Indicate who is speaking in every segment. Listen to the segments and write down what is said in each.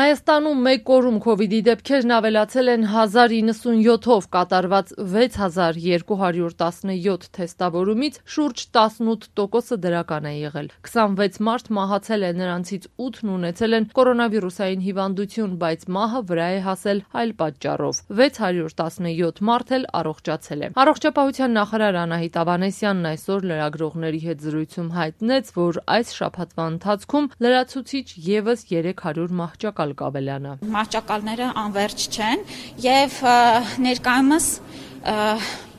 Speaker 1: Հայաստանում մեկ օրում քովիդի դեպքերն ավելացել են 1097-ով, կատարված 6217 թեստավորումից շուրջ 18%-ը դրական է եղել։ 26 մարդ մահացել է, նրանցից 8-ն ունեցել են կորոնավիրուսային հիվանդություն, բայց մահը վրա է հասել այլ պատճառով։ 617 մարդ էլ առողջացել է։ Առողջապահության նախարար Անահիտ Ավանեսյանն այսօր լրագրողների հետ զրույցում հայտնեց, որ այս շաբաթվա ընթացքում լրացուցիչ ևս 300 մահճակալ կավելանա։
Speaker 2: Մահճակալները անվերջ չեն եւ ներկայումս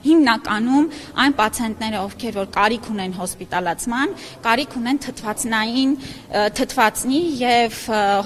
Speaker 2: հիմնականում այն պացիենտները, ովքեր որ կարիք ունեն հոսպիտալացման, կարիք ունեն թթվածնի եւ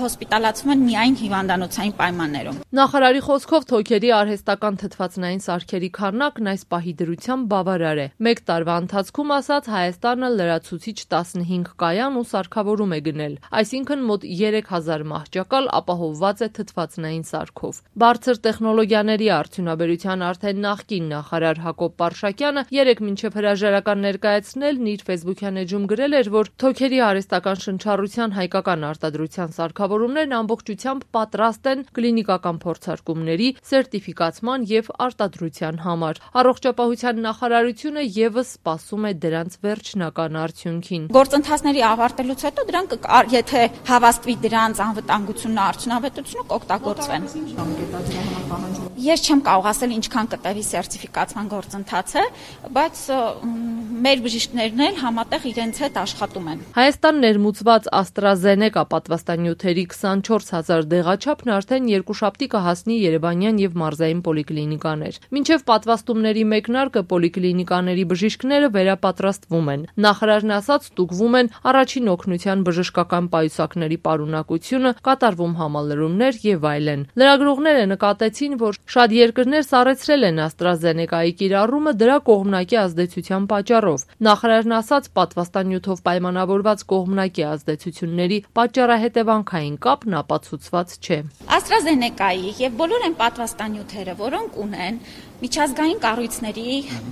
Speaker 2: հոսպիտալացվում են միայն հիվանդանոցային պայմաններում։
Speaker 1: Նախարարի խոսքով թոքերի արհեստական թթվածնային սարքերի քանակն այս պահի դրությամբ բավարար է։ Մեկ տարվա ընթացքում, ասած, Հայաստանը լրացուցիչ 15 կայան ու սարքավորում է գնել, այսինքն մոտ 3000 մահճակալ ապահովված է թթվածնային սարքով։ Բարձր տեխնոլոգիաների արդյունաբերության արդեն նախկին նախարար Հակոբ Պարշակյանը երեկ մինչև հրաժարական ներկայացնելն իր ֆեյսբուքյան էջում գրել էր, որ թոքերի արհեստական շնչառության հայկական արտադրության սարքավորումներն ամբողջությամբ պատրաստ են կլինիկական փորձարկումների, սերտիֆիկացման եւ արտադրության համար։ Առողջապահության նախարարությունը եւս սպասում է դրանց վերջնական արդյունքին։
Speaker 2: Գործընթացների ավարտելուց հետո դրանք, եթե հավաստվի դրանց անվտանգությունն ու արդյունավետությունը, կօգտագործվեն։ Ես չեմ կարող ասել ինչքան կտևի սերտիֆիկացման գործընթացը, բայց մեր բժիշկներն էլ համատեղ իրենց հետ աշխատում են։
Speaker 1: Հայաստան ներմուծված AstraZeneca պատվաստանյութերի 24000 դեղաչափն արդեն երկուշաբթի կհասնի երևանյան եւ մարզային պոլիկլինիկաներ։ Մինչև պատվաստումների մեկնարկը պոլիկլինիկաների բժիշկները վերապատրաստվում են։ Նախարարն ասաց, ստուգվում են առաջին օգնության բժշկական պայուսակների պարունակությունը, կատարվում համալրումներ եւ այլն։ Լրագրողները նկատեցին, որ շատ երկրներ սառեցրել են AstraZeneca-ի կիրառումը դրա կողմնակի ազդեցության պատճառով։ Նախարարն ասաց, պատվաստանյութով պայմանավորված կողմնակի ազդեցությունների պատճառահետևանքային կապն ապացուցված չէ։
Speaker 2: AstraZeneca-ի եւ բոլոր այն պատվաստանյութերը, որոնք ունեն միջազգային կառույցների,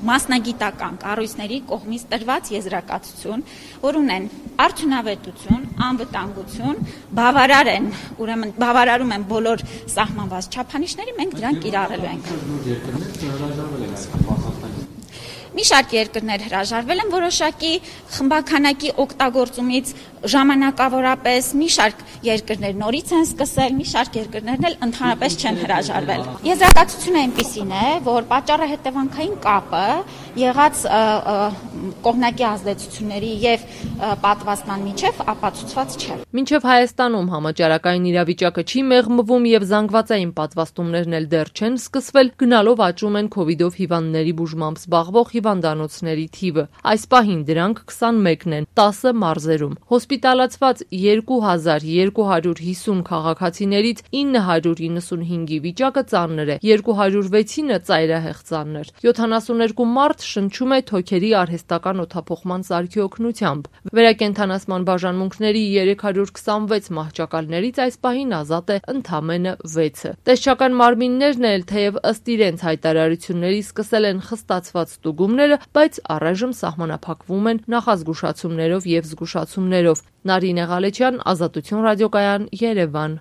Speaker 2: մասնագիտական կառույցների կողմից տրված եզրակացություն, որ ունեն արդյունավետություն, անվտանգություն, բավարար են, ուրեմն բավարարում են բոլոր սահմանված չափանիշների, մենք դրանք կիրառելու ենք։ Մի շարք երկրներ հրաժարվել են որոշակի խմբաքանակի օգտագործումից ժամանակավորապես, մի շարք երկրներ նորից են սկսել, մի շարք երկրներն էլ ընդհանրապես չեն հրաժարվել։ Եզրակացությունը այնպիսին է, որ պատճառահետևանքային կապը եղած կողմնակի ազդեցությունների եւ պատվաստման միջև ապացուցված չէ։
Speaker 1: Մինչև Հայաստանում համաճարակային իրավիճակը չի մեղմվում եւ զանգվածային պատվաստումներն էլ դեռ չեն սկսվել, գնալով աճում են քովիդով հիվանդների բուժմամբ զբաղվող հիվանդանոցների թիվը։ Այս պահին դրանք 21-ն են 10 մարզերում։ Հոսպիտալացված 2250 քաղաքացիներից 995-ի վիճակը ծանր է, 206-ը ծայրահեղ ծանր։ 72 մարդ շնչում է թոքերի արհեստական օդափոխման սարքի օգնությամբ։ Վերակենդանացման բաժանմունքների 326 մահճակալներից այս պահին ազատ է ընդամենը 6-ը։ Տեսչական մարմիններն էլ թեև ըստ իրենց հայտարարությունների սկսել են խստացված ստուգումները, բայց առայժմ սահմանափակվում են նախազգուշացումներով եւ զգուշացումներով։ Նարինե Ղալեչյան, Ազատություն ռադիոկայան, Երևան։